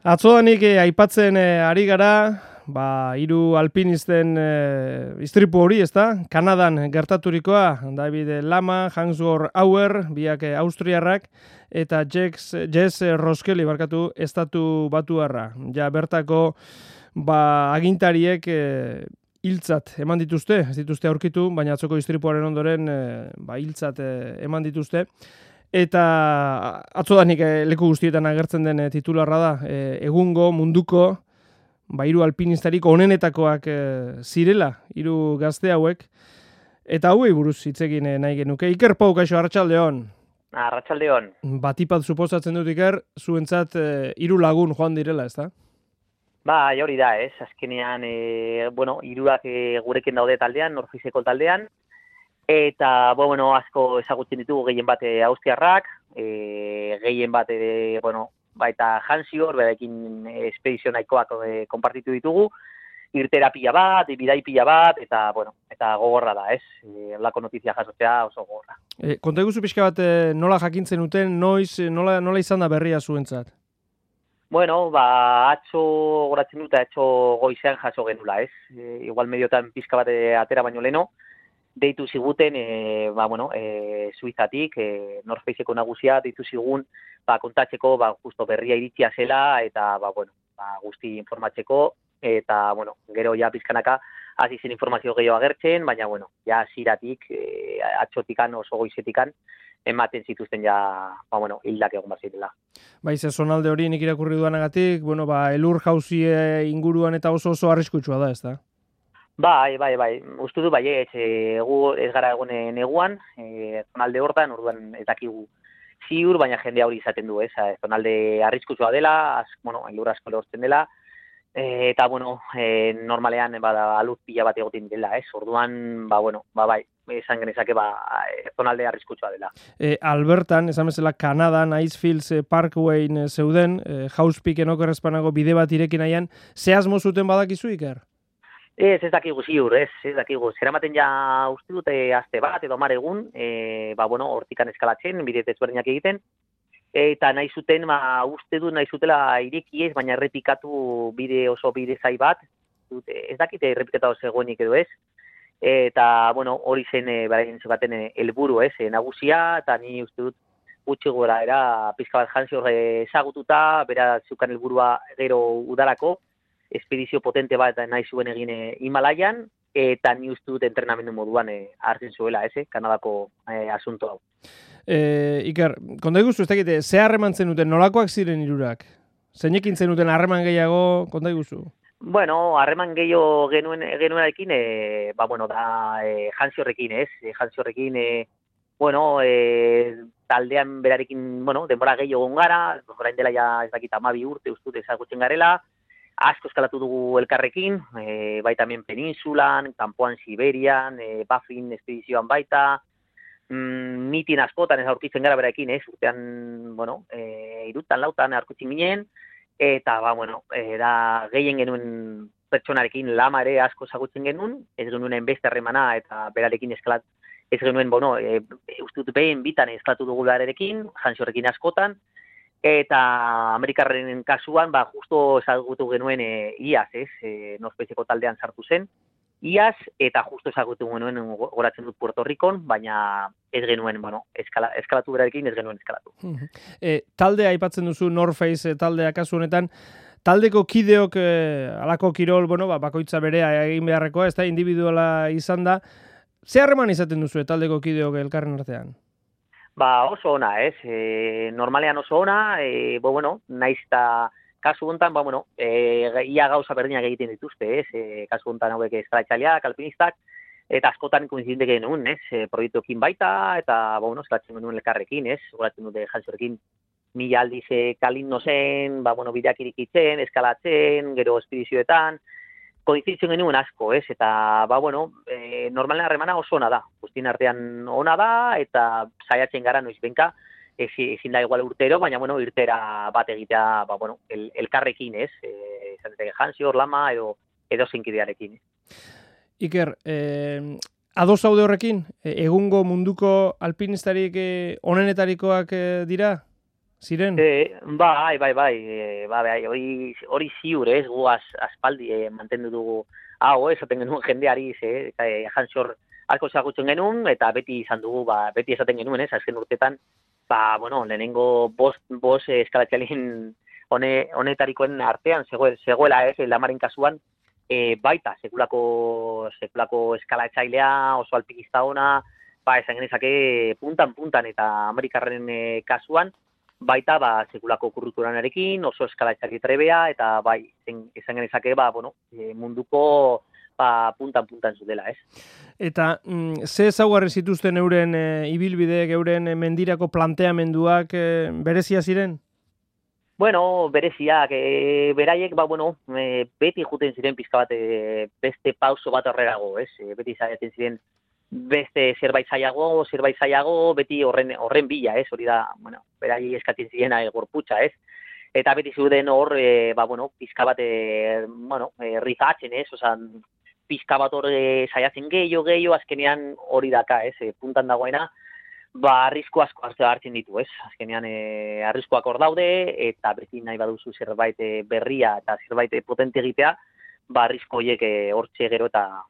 Atzodanik aipatzen ari gara, hiru alpinisten istripu hori, ezta? Kanadan gertaturikoa, David Lama, Hans-Georg Auer, biak austriarrak, eta Jess Roskeli, estatu batuarra. Ja, bertako agintariek hiltzat eman dituzte, ez dituzte aurkitu, baina atzoko istripuaren ondoren hiltzat eman dituzte. Eta atzodanik leku guztietan agertzen den titularra da, egungo munduko hiru alpinistarik onenetakoak zirela, hiru gazte hauek, eta hauei buruz hitz egin nahi genuke. Iker Pau, kaixo, arratsaldeon. Arratsaldeon. Batipat suposatzen dut, Iker, zuentzat hiru lagun joan direla, ezta? Bai, hori da, ez. Azkenean, hirurak gurekin daude taldean, Norfiseko taldean, eta, asko ezagutzen ditugu gehien bat austriarrak, gehien bat, baita Hans-Georg, berarekin espedizio nahikoak konpartitu ditugu, irtera pila bat, bidai pila bat, eta gogorra da, ez? Lako notizia jasotzea oso gogorra. Konta eguzu pixka bat nola jakintzen duten, noiz, nola izan da berria zuentzat? Atzo goratzen dut, atzo goizean jaso genula, ez? Igual mediotan pixka bat atera baino leno, deitu ziguten, Suizatik, North Faceko nagusia, deitu zigun, kontatzeko, justo berria iritzia zela, eta, guzti informatzeko, eta, gero ja pizkanaka, hasi zen informazio gehiago agertzen, baina, ja ziratik, atzotikan, oso goizetikan, ematen zituzten ja, hildak egon bazirela. Ze zonalde hori nik irakurri duanagatik, elur jauzie inguruan eta oso arriskutsua da, ez da? Bai. Uste du, gu ez gara egon neguan, zonalde hortan, orduan ez dakigu ziur, baina jende hori izaten du, ez? Zonalde arriskutsua dela, elur asko lehortzen dela, eta, normalean, alur pila bat egoten dela, ez? Orduan, bai, esan genezake, zonalde arriskutsua dela. Albertan, esan bezala, Kanadan, Icefields Parkwayn zeuden, Housepeaken okerrezpanago bide bat irekin nahian, ze asmo zuten badakizu, Iker? Ez dakigu ziur, ez dakigu. Zeramaten ja uste dute aste bat edo 10 egun, hortikan eskalatzen, bide ezberdinak egiten, eta nahi zuten, uste dut nahi zutela ireki ez, baina errepikatu bide zai bat, ez dakite errepikata oso egoenik edo ez, eta, hori zen beraien zeukaten helburu ez, nagusia, eta ni uste dut gutxi gora era pizka bat Hans-Georg ezagututa, bera zeukan helburua gero udalako, espedizio potente bat nahi zuen egin Himalaian, eta ni uste dut entrenamendu moduan hartzen zuela, Kanadako asunto hau. Iker, konta iguzu, ez dakite, ze harreman zenuten, nolakoak ziren hirurak? Zeinekin zenuten harreman gehiago, konta iguzu? Harreman gehiago genuenarekin, Hans-Georgrekin, ez? Hans-Georgrekin, taldean berarekin, denbora gehiago gara, orain dela ja ez dakit 12 urte uste dut ezagutzen garela, asko eskalatu dugu elkarrekin, baita hemen peninsulan, kanpoan Siberian, Baffin espedizioan baita, mitin askotan ez aurkitzen gara beraekin, urtean, irutan, lautan aurkitzen ginen, eta, da gehien genuen pertsonarekin Lama ere asko ezagutzen genuen, ez genuen beste harremana eta berarekin eskalat, ez genuen, uste dut behin bitan eskalatu dugu berarekin, Hans-Georgrekin askotan, eta Amerikarren kasuan, justo ezagutu genuen iaz, North Faceko taldean sartu zen, iaz, eta justo ezagutu genuen goratzen dut Puerto Ricon, baina ez genuen, eskalatu berarekin ez genuen eskalatu. Taldea aipatzen duzu North Face taldea kasu honetan, taldeko kideok alako kirol, bakoitza berea egin beharrekoa, ez da individuala izan da, ze harreman izaten duzu taldeko kideok elkarren artean? Oso ona, ez? Normalean oso ona, naiz eta kasu honetan, ia gauza berdinak egiten dituzte, ez? Kasu honetan hauek eskalatzaileak, alpinistak, eta askotan koinzidente genuen, ez? Proiektuekin baita, eta, eskalatzen genuen elkarrekin, ez? Goratzen dute Hans-Georgrekin 1000 aldiz kalin zen, bideak irikitzen, eskalatzen, gero espedizioetan, koinziditzen genuen asko, ez? Eta, normalen harremana oso ona da. Guztien artean ona da, eta saiatzen gara noiz benka, ezin da igual urtero, baina, irtera bat egitea, elkarrekin, ez? Izateke Hans-Georg, Lama, edo zinkidearekin. Iker, ados zaude horrekin? Egungo munduko alpinistarik onenetarikoak dira? ziren? Bai, hori ziur, ez, gu aspaldi mantendu dugu hau, esaten genuen jendeari, jantzor asko zagutzen genuen, eta beti izan dugu, beti esaten genuen, ez, azken urtetan, lehenengo bost eskalatxalien honetarikoen artean, zegoela, ez, lamaren kasuan, baita, sekulako eskalatxailea, oso alpikista ona, esan genezake puntan eta Amerikarren kasuan, baita, sekulako kurrikulanarekin, oso eskalatxari trebea, eta esan genezake, munduko puntan zutela, ez? Eta ze ezaugarri zituzten euren ibilbideek, euren mendirako planteamenduak berezia ziren? Bueno, bereziak, beraiek, beti juten ziren pizka bat beste pauso bat horrerago, ez? Beti zaiaten ziren beste zerbait zailago, beti horren bila, ez? Hori da, beraiek eskatzen ziren gorputza, ez? Eta beti zuden hor, pizka bat, rifatzen, ez? Osan, pizka bat hor saiatzen gehiago, azkenean hori daka, ez? Puntan dagoena, arrisku asko hartzen ditu, ez? Azkenean arriskuak hor daude, eta beti nahi baduzu zerbait berria eta zerbait potente egitea, arrisku horiek hortxe gero eta,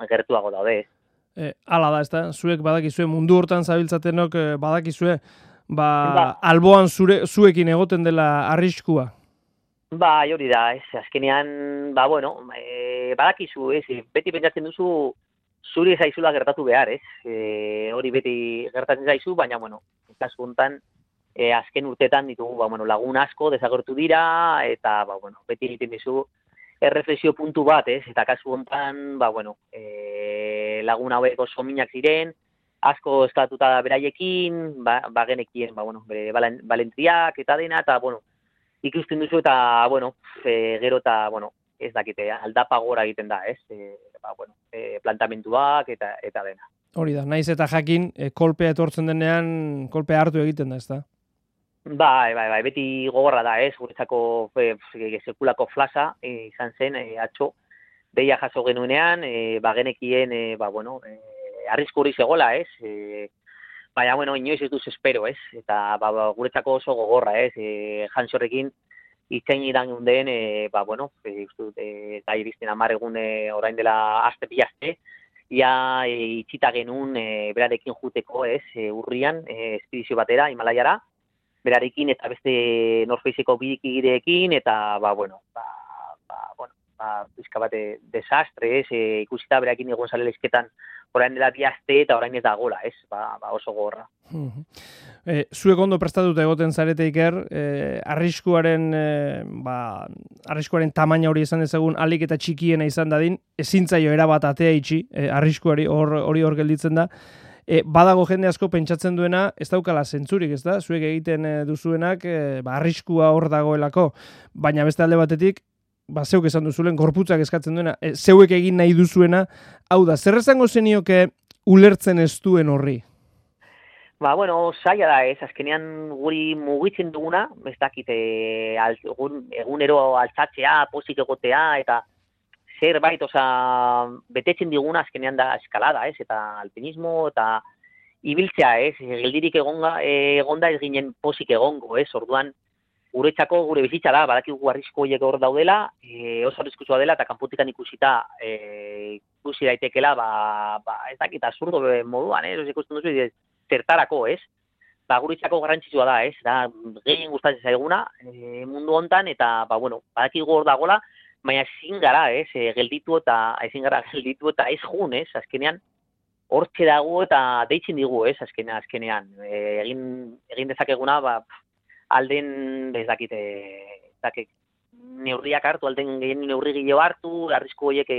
gertuago daude, ez? Hala da, ezta? Zuek badakizue, mundu hortan zabiltzatenok badakizue, alboan zuekin egoten dela arriskua. Hori da, ez? Azkenean, badakizu, ez? Beti pentsatzen duzu zuri zaizula gertatu behar, ez? Hori beti gertatzen zaizu, baina, kasu honetan, azken urtetan ditugu, lagun asko desagertu dira, eta, beti egiten dizu erreflexio puntu bat, ez? Eta kasu honetan, lagun hauek oso minak ziren, asko eskatuta beraiekin, genekien, bere balentriak eta dena, eta, ikusten duzu eta, gero eta, ez dakite, aldapa gora egiten da, ez? Plantamentuak eta dena. Hori da, naiz eta jakin, kolpea etortzen denean, kolpea hartu egiten da, ez da? Beti gogorra da, ez? Guretzako sekulako flasa izan zen, atxo, deia jaso genuenean, genekien, arrisku hori zegoela, ez? Baina, inoiz ez duz espero, ez? Eta, guretzako oso gogorra, ez? Jantzorrekin, itzein idan gunden, eta iristen 10 egun orain dela bi aste, ia itxita genuen berarekin juteko, ez? Urrian, espedizio batera, Himalaiara, berarekin eta beste Norfeiseko bidikideekin, eta, pizka bate desastre, ez? Ikusita berarekin egon zale leizketan orain dela 2 aste eta orain ez da gola, ez? Oso gorra. Zuek ondo prestatuta egoten zarete, Iker, arriskuaren tamaina hori esan dezagun alik eta txikiena izan dadin, ezin zaio erabat atea itxi, arriskuari hori hor gelditzen da. Badago jende asko pentsatzen duena, ez daukala zentzurik, ez da? Zuek egiten duzuenak, arriskua hor dagoelako, baina beste alde batetik, zeuk esan duzulen, gorputzak eskatzen duena, zeuek egin nahi duzuena, hau da, zer esango zenioke ulertzen ez duen horri? Zaila da ez, azkenean guri mugitzen duguna, ez dakit, egunero altzatzea, pozik egotea, eta zerbait, betetzen diguna azkenean da eskalada, ez, eta alpinismo, eta ibiltzea, ez, geldirik egonda ez ginen pozik egongo, ez, orduan, guretzako gure bizitza da, badakigu arrisku horiek hor daudela, oso arriskutsua dela, eta kanpotikan ikusita ikusi daitekela, ez dakit, absurdo moduan, ez, ikusten duzu, zertarako, ez? Guretzako garrantzitsua da, ez? Da, gehien gustatzen zaiguna mundu hontan, eta, badakigu hor dagoela, baina ezin gara, ez? Gelditu eta ez jun, ez? Azkenean, hortxe dago eta deitzen digu, ez? Azkenean, egin dezakeguna, alden, ez dakit, neurriak hartu, alden gehien neurri gehiago hartu, arrisku horiek,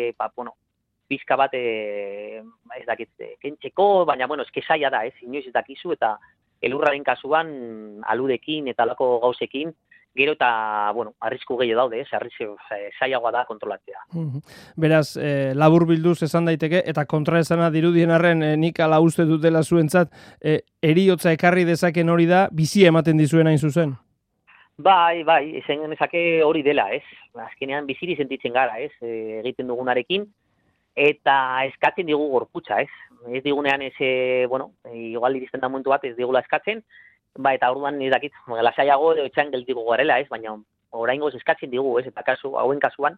pizka bat, ez dakit, kentzeko, baina, eske zaila da, ez, inoiz ez dakizu, eta elurraren kasuan, aludekin eta alako gauzekin, gero eta, arrisku gehiago daude, ez, zailagoa da kontrolatzea. Beraz, labur bilduz esan daiteke, eta kontraesana dirudien arren nik ala uste dutela zuentzat, heriotza ekarri dezaken hori da, bizi ematen dizuen hain zuzen? Bai, esan genezake hori dela, ez, azkenean biziri sentitzen gara, ez, egiten dugunarekin, eta eskatzen digu gorputza, ez? Ez digunean igual iristen da momentu bat ez digula eskatzen, Ba, eta orduan ez dakit, lasaiago etxean geldiko garela, ez? Baina oraingoz eskatzen digu, ez? Eta hauen kasuan,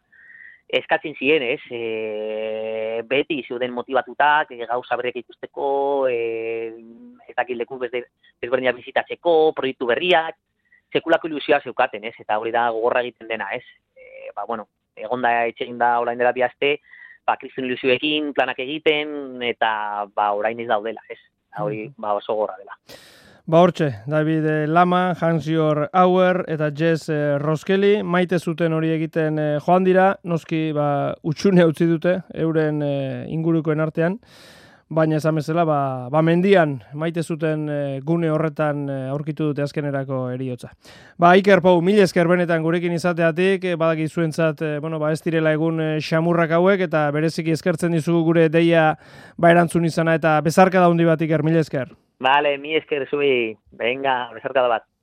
eskatzen ziren, ez? Beti zeuden motibatutak, gauza berriak ikusteko, ez dakit leku desberdinak bizitatzeko, proiektu berriak, sekulako ilusioa zeukaten, ez? Eta hori da gogorra egiten dena, ez? Egonda etxegin da orain dela 2 aste, kriston ilusioekin, planak egiten, eta orain ez daudela, ez? Hori oso gogorra dela. Hortxe, David Lama, Hans-Jörg Auer eta Jess Roskeli, maite zuten hori egiten joan dira, noski utxune utzi dute, euren ingurukoen artean, baina esan bezala, mendian maite zuten gune horretan aurkitu dute azkenerako heriotza. Iker Pou, mil esker benetan gurekin izateatik, badaki zuentzat, ez direla egun xamurrak hauek, eta bereziki eskertzen dizugu gure deia erantzun izana, eta bezarka da hundi bat, Iker, mil esker. Vale, mi esker zubi. Venga, besarkada bat.